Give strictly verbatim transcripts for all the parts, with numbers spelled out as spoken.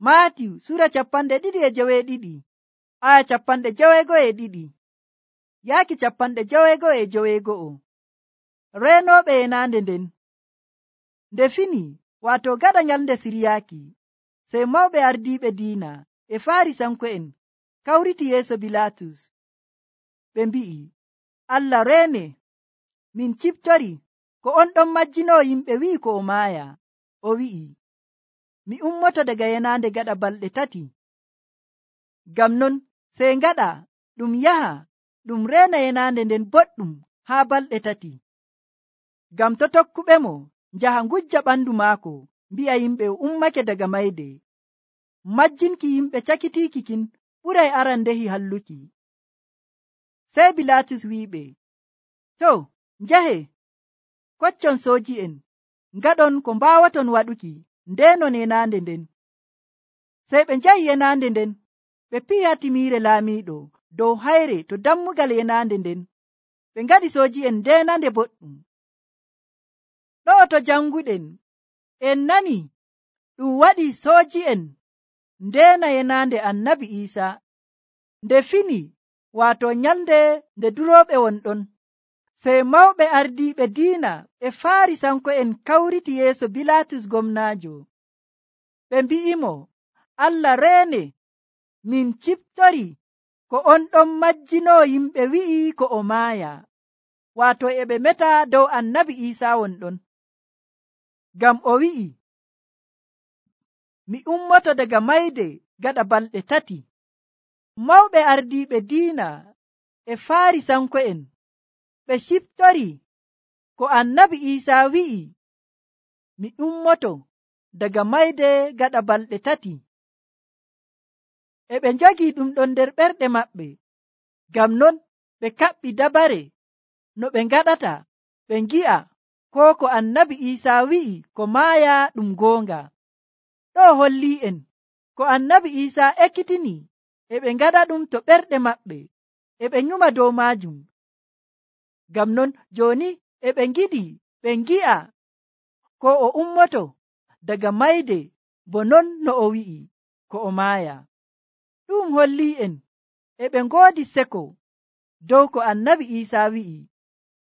Maatiyu sura capanɗe ɗiɗi e joweeɗiɗi aya capanɗe joweego e ɗiɗi yaaki capanɗe joweego e joweego'o. Reenooɓe yenaande nden nde fini waato gaɗa nyalnde siryaaki, sey mawɓe ardiiɓe diina e Faarisanko'en kawriti yeeso Bilaatus. Ɓe mbi'i, Allah reene, min ciftori ko on ɗon majjinoo yimɓe wi'i ko o maaya. O wi'i, mi ummoto daga yenaande gaɗa balɗe tati. Ngam non sey ngaɗa ɗum yaha ɗum reena yenaande nden boɗɗum haa balɗe tati. Ngam to tokkuɓemo njaha ngujja ɓandu maako mbi'a yimɓe o ummake daga mayde. Majjinki yimɓe cakitiiki kin ɓuray arandehi halluki. Sey Bilaatus wi'iɓe, to njahe koccon sooji'en ngaɗon ko mbaawaton waɗuki ndeenon yenaande nden. Sey ɓe njahi yenaande nden ɓe pi'i hatimiire laamiiɗo dow hayre to dammugal yenaande nden. Ɓe ngaɗi sooji'en ndeenande boɗɗum. Ɗo'o to janguɗen en nani ɗum waɗi sooji'en ndeena yenaande Annabi Iisaa. Nde fini waato nyalnde nde durooɓe wonɗon, sey mawɓe ardiiɓe diina e Faarisanko'en kawriti yeeso Bilaatus gomnaajo. Ɓe mbi'imo, Allah reene, min ciftori ko on ɗon majjinoo yimɓe wi'i ko o maaya. Waato e ɓe meta dow Annabi Iisaa wonɗon. Ngam o wi'i, mi ummoto daga mayde gaɗa balɗe tati. Mawɓe ardiiɓe diina e Faarisanko'en ɓe ciftori ko Annabi Iisaa wi'i, mi ummoto daga mayde gaɗa balɗe tati. E ɓe njogii ɗum ɗon nder ɓerɗe maɓɓe. Ngam non ɓe kaɓɓi dabare no ɓe ngaɗata ɓe ngi'a ko ko Annabi Iisaa wi'i ko maaya ɗum goonga. Ɗo holli'en ko Annabi Iisaa ekkitini e ɓe ngaɗa ɗum to ɓerɗe maɓɓe e ɓe nyuma dow maajum. Ngam non jooni e ɓe ngiɗi ɓe ngi'a ko o ummoto daga mayde bo non no o wi'i ko o maaya. Ɗum holli'en e ɓe ngoodi seko dow ko Annabi Iisaa wi'i.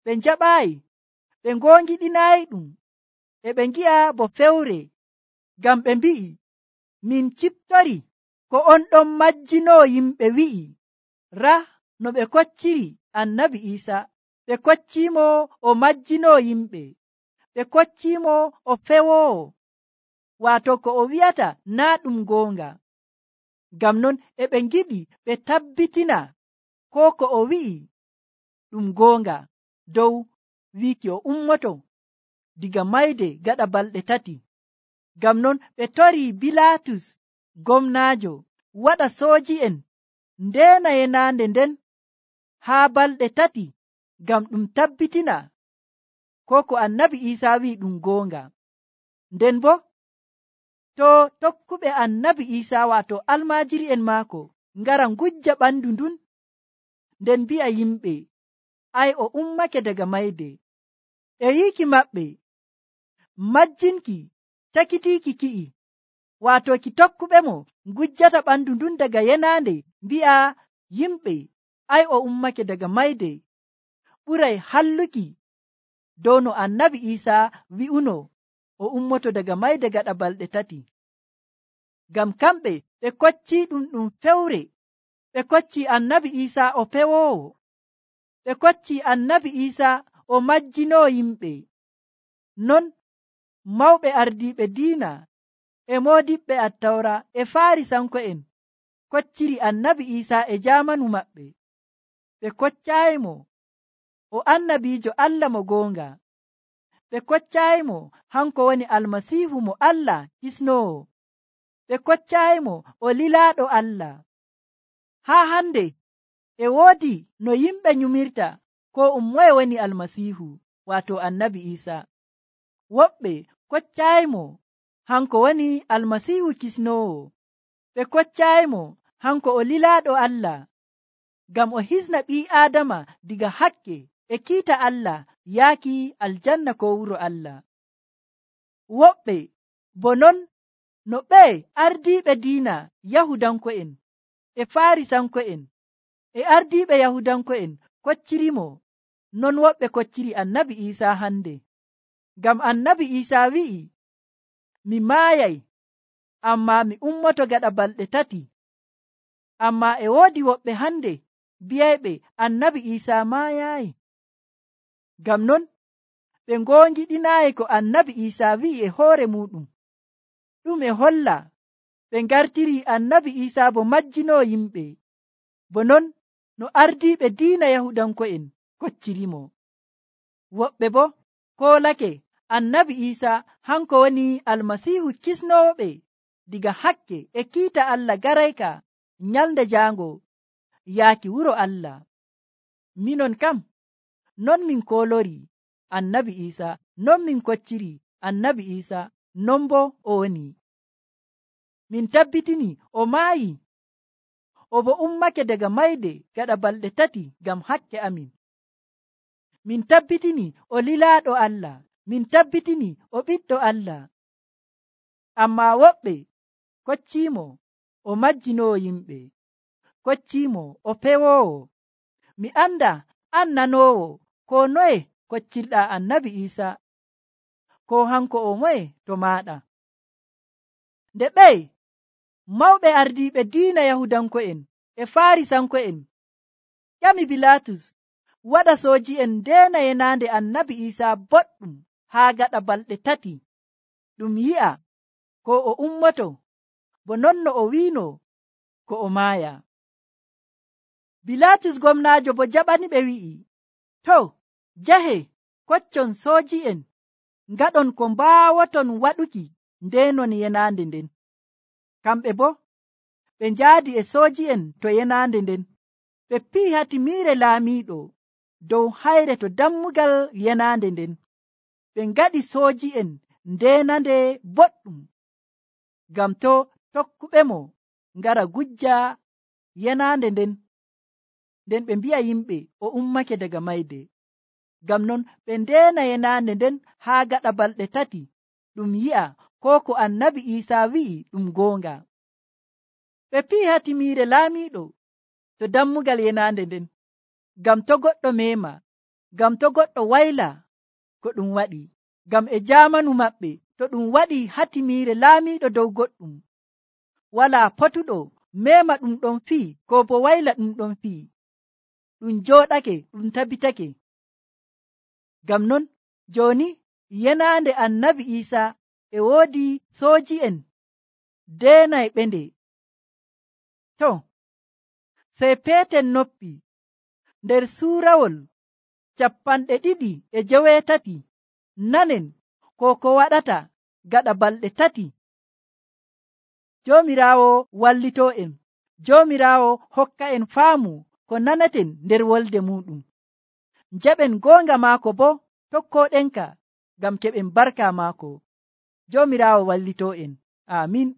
Ɓe njaɓaayi, ɓe ngoongiɗinaayi ɗum, e ɓe ngi'a bo fewre. Ngam ɓe mbi'i, min ciftori ko on ɗon majjinoo yimɓe wi'i. Raa no ɓe kocciri Annabi Iisaa. Ɓe kocciimo o majjinoo yimɓe. Ɓe kocciimo o fewoowo. Waato ko o wi'ata naa ɗum goonga. Ngam non e ɓe ngiɗi ɓe tabbitina ko ko o wi'i ɗum goonga dow wiiki o ummoto diga mayde gaɗa balɗe tati. Ngam non ɓe torii Bilaatus gomnaajo waɗa sooji'en ndeena yenaande nden haa balɗe tati ngam ɗum tabbitina ko ko Annabi Iisaa wi'i ɗum goonga. Nden bo to tokkuɓe Annabi Iisaa waato almaajiri'en maako ngara ngujja ɓandu ndun nden mbi'a yimɓe ay o ummake daga mayde, e yiiki maɓɓe majjinki cakitiiki ki'i waato ki tokkuɓemo ngujjata ɓandu ndun daga yenaande mbi'a yimɓe ay o ummake daga mayde ɓuray halluki dow no Annabi Iisaa wi'uno o ummoto daga mayde gaɗa balɗe tati. Ngam kamɓe ɓe koccii ɗum ɗum fewre. Ɓe koccii Annabi Iisaa o pewoowo. Ɓe koccii Annabi Iisaa o majjinoo yimɓe. Non mawɓe ardiiɓe diina e moodiɓɓe Attawra e Faarisanko'en kocciri Annabi Iisaa e jaamanu maɓɓe. Ɓe koccaayimo o annabiijo Allah mo goonga. Ɓe koccaayimo hanko woni Almasiihu mo Allah hisnoowo. Ɓe koccaayimo o lilaaɗo Allah. Haa hande e woodi no yimɓe nyumirta ko um moye woni Almasiihu waato Annabi Iisaa. Woɓɓe koccaayimo hanko woni Almasiihu kisnoowo. Ɓe koccaayimo hanko o lilaaɗo Allah ngam o hisna ɓii Aadama diga hakke e kiita Allah yaaki aljanna ko wuro Allah. Woɓɓe bo non no ɓe ardiiɓe diina Yahudanko'en e Farisanko'en e ardiiɓe Yahudanko'en koccirimo, non woɓɓe kocciri annabi Iisaa hande. Ngam annabi Iisaa wi'i, mi maayay, ammaa mi ummoto gaɗa balɗe tati. Ammaa e woodi woɓɓe hande bi'ayɓe annabi Iisaa maayaayi. Ngam non ɓe ngoongiɗinaayi ko annabi Iisaa wi'i e hoore muɗum. Ɗum e holla ɓe ngartiri annabi Iisaa bo majjinoo yimɓe, bo non no ardiiɓe diina Yahudanko'en koccirimo. Woɓɓe bo koolake annabi Iisaa hanko woni Almasiihu kisnooɓe diga hakke e kiita Allah garayka nyalnde jaango yaaki wuro Allah. Minon kam non min koolori annabi Iisaa, non min kocciri annabi Iisaa, non bo o woni. Min tabbitini o maayi, o bo ummake daga mayde gaɗa balɗe tati ngam hakke amin. Min tabbitini o lilaaɗo Allah, min tabbitini o ɓiɗɗo Allah. Ammaa woɓɓe kocciimo o majjinoo yimɓe, kocciimo o pewoowo. Mi anda an nanoowo ko noye koccirɗaa annabi Iisaa, ko hanko o moye to maaɗa. Nde ɓey mawɓe ardiiɓe diina Yahudanko'en e Farisanko'en ƴami Bilaatus waɗa sooji'en ndeena yenaande annabi Iisaa boɗɗum haa gaɗa balɗe tati, ɗum yi'a ko o ummoto, bo non no o wiino ko o maaya. Bilaatus gomnaajo bo jaɓaniɓe wi'i, to jahe koccon sooji'en ngaɗon ko mbaawoton waɗuki ndeenon yenaande nden. Kamɓe bo ɓe njaadi e sooji'en to yenaande nden, ɓe pi'i hatimiire laamiiɗo dow hayre to dammugal yenaande nden. Ɓe ngaɗi sooji'en ndeenande boɗɗum, ngam to tokkuɓemo ngara gujja yenaande nden, nden ɓe mbi'a yimɓe o ummake daga mayde. Ngam non ɓe ndeena yenaande nden haa gaɗa balɗe tati, ɗum yi'a ko ko annabi Iisaa wi'i ɗum goonga. Ɓe pi'i hatimiire laamiiɗo to dammugal yenaande nden, ngam to goɗɗo meema, ngam to goɗɗo wayla ko ɗum waɗi. Ngam e jaamanu maɓɓe to ɗum waɗi hatimiire laamiiɗo dow goɗɗum, walaa potuɗo meema ɗum ɗon fii ko bo wayla ɗum ɗon fii, ɗum jooɗake ɗum tabitake. Ngam non jooni yenaande annabi Iisaa e woodi sooji'en deenay ɓe nde. To sey peeten noppi nder suurawol cappanɗe ɗiɗi e joweetati nanen ko ko waɗata gaɗa balɗe tati. Joomiraawo wallitoo en, Joomiraawo hokka en faamu ko nanaten nder wolde muɗum. Njaɓen goonga maako bo tokkooɗenka ngam keɓen barka maako. Joomiraawo wallitoo en. Amin.